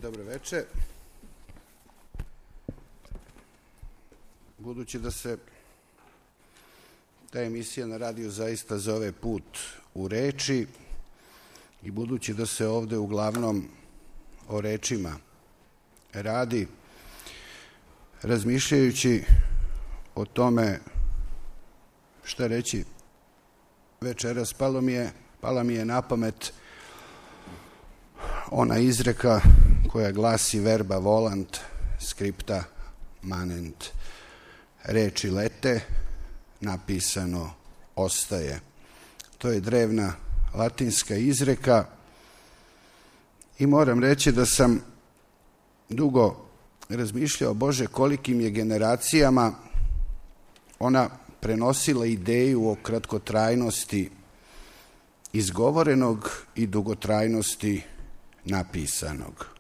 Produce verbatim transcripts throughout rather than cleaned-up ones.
Dobro veče. Budući da se ta emisija na radiju zaista zove Put u reči i budući da se ovde uglavnom o rečima radi, razmišljajući o tome šta reći večeras, palo mi je, pala mi je na pamet ona izreka koja glasi verba volant, scripta manent. Reči lete, napisano ostaje. To je drevna latinska izreka i moram reći da sam dugo razmišljao, Bože, kolikim je generacijama ona prenosila ideju o kratkotrajnosti izgovorenog i dugotrajnosti napisanog.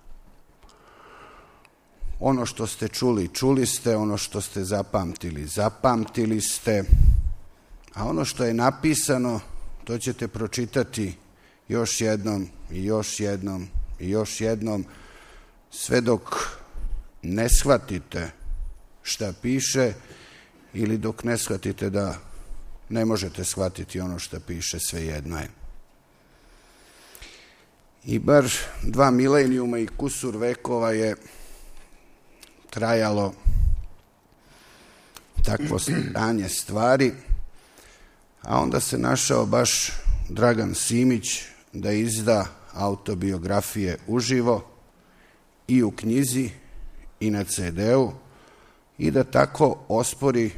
Ono što ste čuli, čuli ste, ono što ste zapamtili, zapamtili ste, a ono što je napisano, to ćete pročitati još jednom i još jednom i još jednom, sve dok ne shvatite šta piše ili dok ne shvatite da ne možete shvatiti ono što piše, svejedno je. I bar dva milenijuma i kusur vekova je trajalo takvo stanje stvari, a onda se našao baš Dragan Simić da izda autobiografije uživo i u knjizi i na ce de u i da tako ospori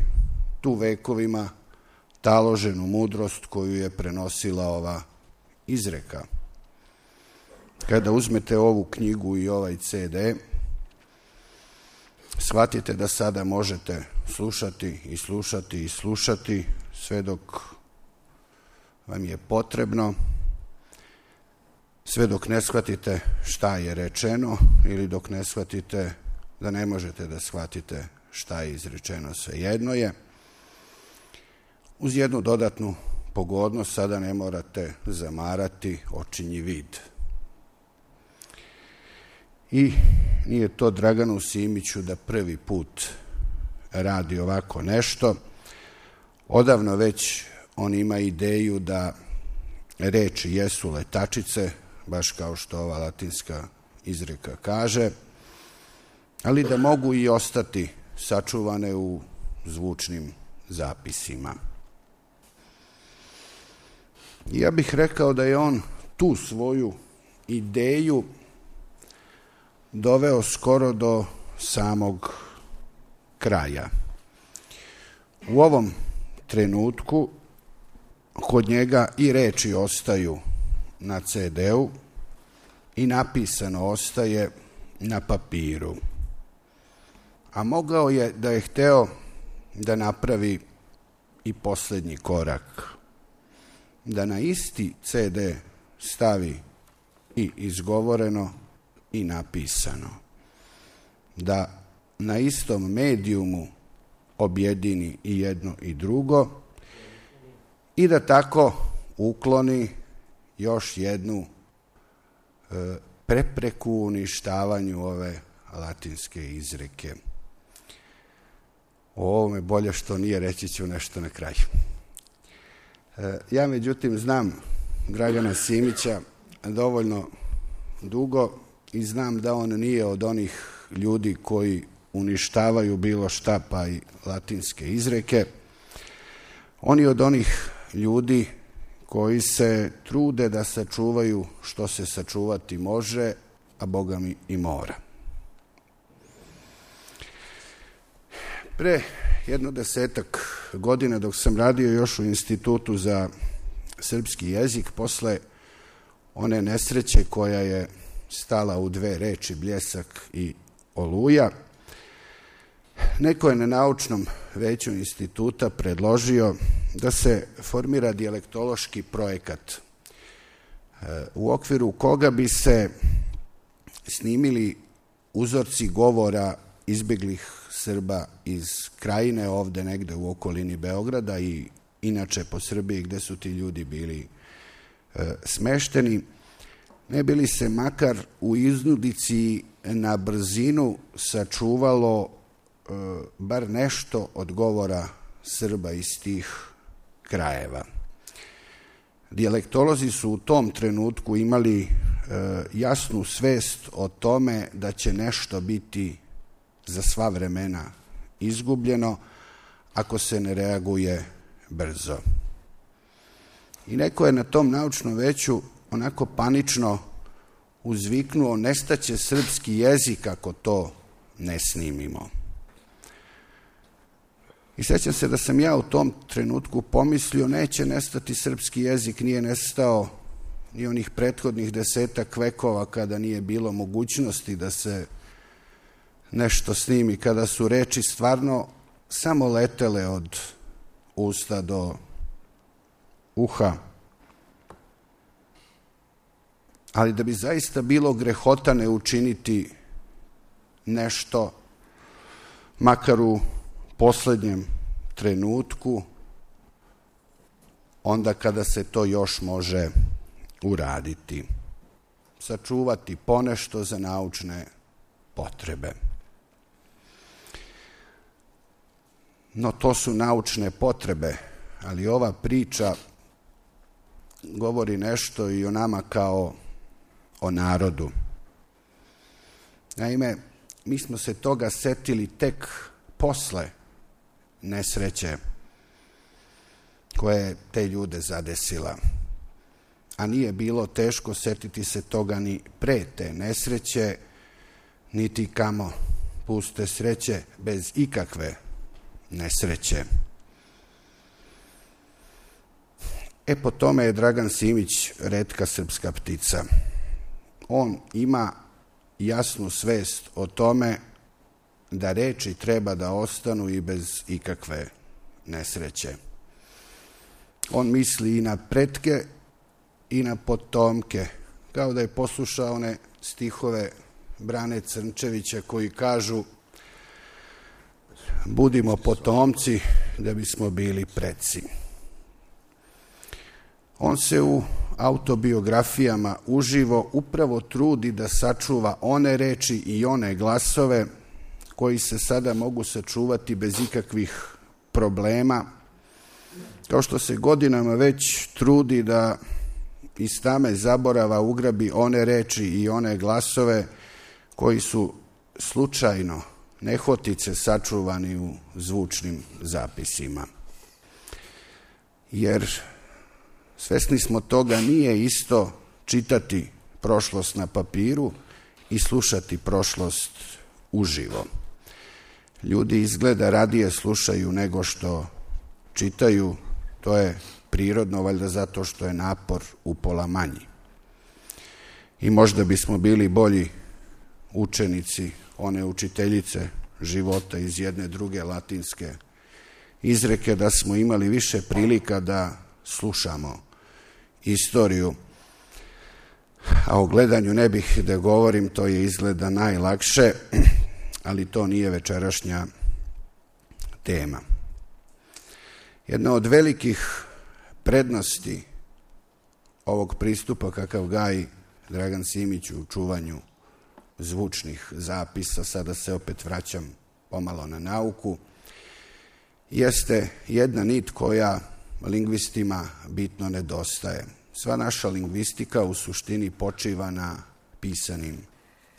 tu vekovima taloženu mudrost koju je prenosila ova izreka. Kada uzmete ovu knjigu i ovaj ce de, shvatite da sada možete slušati i slušati i slušati sve dok vam je potrebno, sve dok ne shvatite šta je rečeno ili dok ne shvatite da ne možete da shvatite šta je izrečeno, svejedno je. Uz jednu dodatnu pogodnost, sada ne morate zamarati očinji vid. I nije to Draganu Simiću da prvi put radi ovako nešto. Odavno već on ima ideju da reči jesu letačice, baš kao što ova latinska izreka kaže, ali da mogu i ostati sačuvane u zvučnim zapisima. Ja bih rekao da je on tu svoju ideju doveo skoro do samog kraja. U ovom trenutku kod njega i reči ostaju na ce de u i napisano ostaje na papiru. A mogao je, da je hteo, da napravi i poslednji korak, da na isti ce de stavi i izgovoreno i napisano, da na istom medijumu objedini i jedno i drugo i da tako ukloni još jednu e, prepreku u uništavanju ove latinske izreke. O ovome bolje što nije, reći ću nešto na kraju. E, ja međutim znam Dragana Simića dovoljno dugo i znam da on nije od onih ljudi koji uništavaju bilo šta, pa i latinske izreke. On je od onih ljudi koji se trude da sačuvaju što se sačuvati može, a Boga mi i mora. Pre jedno desetak godina, dok sam radio još u Institutu za srpski jezik, posle one nesreće koja je stala u dve reči, bljesak i oluja, neko je na naučnom veću instituta predložio da se formira dijalektološki projekat u okviru koga bi se snimili uzorci govora izbeglih Srba iz Krajine, ovde negde u okolini Beograda i inače po Srbiji gde su ti ljudi bili e, smešteni, ne bi li se makar u iznudici na brzinu sačuvalo e, bar nešto od govora Srba iz tih krajeva. Dijalektolozi su u tom trenutku imali e, jasnu svest o tome da će nešto biti za sva vremena izgubljeno ako se ne reaguje brzo. I neko je na tom naučnom veću onako panično uzviknuo: nestaće srpski jezik ako to ne snimimo. I sjećam se da sam ja u tom trenutku pomislio: neće nestati srpski jezik, nije nestao ni onih prethodnih desetak vekova kada nije bilo mogućnosti da se nešto snimi, kada su reči stvarno samo letele od usta do uha. Ali da bi zaista bilo grehota ne učiniti nešto, makar u poslednjem trenutku, onda kada se to još može uraditi. Sačuvati ponešto za naučne potrebe. No to su naučne potrebe, ali ova priča govori nešto i o nama kao o narodu. Naime, mi smo se toga setili tek posle nesreće koja je te ljude zadesila. A nije bilo teško setiti se toga ni pre te nesreće, niti kamo puste sreće bez ikakve nesreće. E, po tome je Dragan Simić retka srpska ptica. On ima jasnu svest o tome da reči treba da ostanu i bez ikakve nesreće. On misli i na pretke i na potomke, kao da je poslušao one stihove Brane Crnčevića koji kažu: budimo potomci da bismo bili preci. On se u autobiografijama uživo upravo trudi da sačuva one reči i one glasove koji se sada mogu sačuvati bez ikakvih problema, kao što se godinama već trudi da iz tame zaborava ugrabi one reči i one glasove koji su slučajno, nehotice sačuvani u zvučnim zapisima. Jer svesni smo toga, nije isto čitati prošlost na papiru i slušati prošlost uživo. Ljudi izgleda radije slušaju nego što čitaju, to je prirodno, valjda zato što je napor upola manji. I možda bismo bili bolji učenici one učiteljice života iz jedne druge latinske izreke da smo imali više prilika da slušamo istoriju. A o gledanju ne bih da govorim, to je izgleda najlakše, ali to nije večerašnja tema. Jedna od velikih prednosti ovog pristupa kakav gaji Dragan Simić u čuvanju zvučnih zapisa, sada se opet vraćam pomalo na nauku, jeste jedna nit koja lingvistima bitno nedostaje. Sva naša lingvistika u suštini počiva na pisanim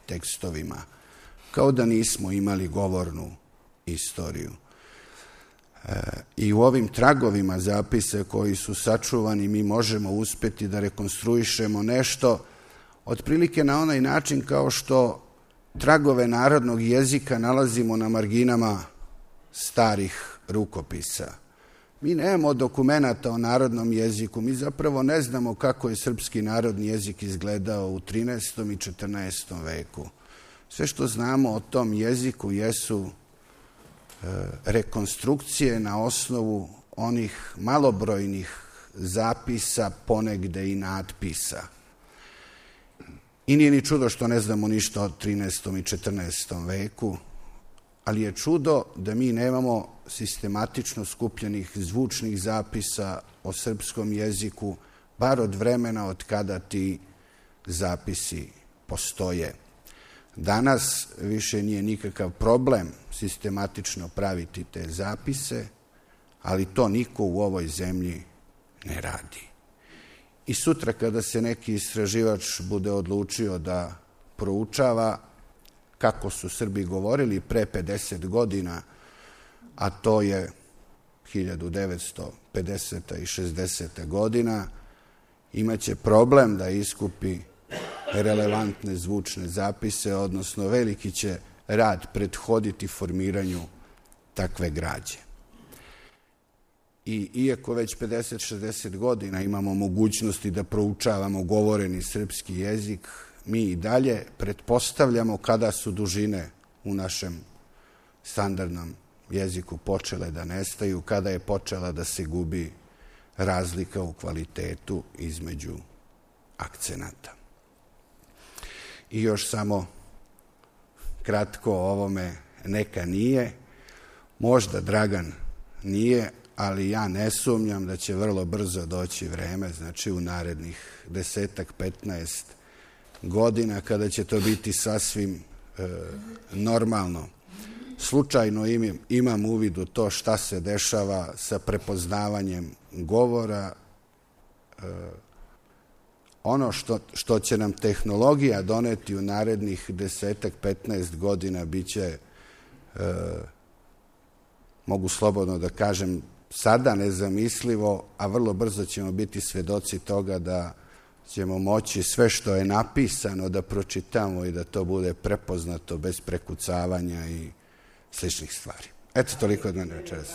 tekstovima, kao da nismo imali govornu istoriju. E, I u ovim tragovima zapisa koji su sačuvani mi možemo uspeti da rekonstruišemo nešto otprilike na onaj način kao što tragove narodnog jezika nalazimo na marginama starih rukopisa. Mi nemamo dokumenata o narodnom jeziku, mi zapravo ne znamo kako je srpski narodni jezik izgledao u trinaestom i četrnaestom veku. Sve što znamo o tom jeziku jesu e, rekonstrukcije na osnovu onih malobrojnih zapisa, ponegde i natpisa. I nije ni čudo što ne znamo ništa o trinaestom i četrnaestom veku, ali je čudo da mi nemamo sistematično skupljenih zvučnih zapisa o srpskom jeziku, bar od vremena od kada ti zapisi postoje. Danas više nije nikakav problem sistematično praviti te zapise, ali to niko u ovoj zemlji ne radi. I sutra kada se neki istraživač bude odlučio da proučava kako su Srbi govorili pre pedeset godina, a to je hiljadu devetsto pedeseta i šezdeseta godina, imaće problem da iskupi relevantne zvučne zapise, odnosno veliki će rad prethoditi formiranju takve građe. I iako već pedeset šezdeset godina imamo mogućnosti da proučavamo govoreni srpski jezik, mi i dalje pretpostavljamo kada su dužine u našem standardnom jeziku počele da nestaju, kada je počela da se gubi razlika u kvalitetu između akcenata. I još samo kratko o ovome, neka nije, možda Dragan nije, ali ja ne sumnjam da će vrlo brzo doći vreme, znači u narednih desetak, petnaest godina, kada će to biti sasvim e, normalno. Slučajno imam, imam uvid u to šta se dešava sa prepoznavanjem govora. E, ono što, što će nam tehnologija doneti u narednih desetak, petnaest godina biće, e, mogu slobodno da kažem, sada nezamislivo, a vrlo brzo ćemo biti svedoci toga da ćemo moći sve što je napisano da pročitamo i da to bude prepoznato bez prekucavanja i sličnih stvari. Eto, toliko od mene večeras.